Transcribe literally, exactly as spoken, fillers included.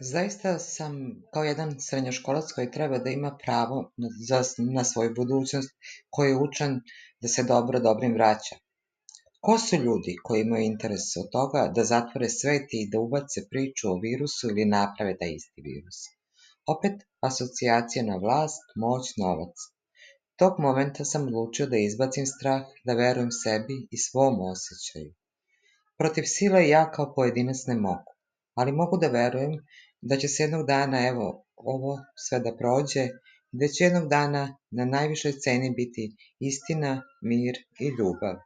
Zaista sam kao jedan srednjoškolac koji treba da ima pravo na, za, na svoju budućnost, koji je učen da se dobro dobrim vraća. Ko su ljudi koji imaju interes od toga da zatvore svet i da ubace priču o virusu ili naprave taj isti virus? Opet, asocijacija na vlast, moć, novac. Tog momenta sam odlučio da izbacim strah, da verujem sebi i svom osjećaju. Protiv sile ja kao pojedinac ne mogu, ali mogu da verujem da će se jednog dana, evo, ovo sve da prođe i da će jednog dana na najvišoj ceni biti istina, mir i ljubav.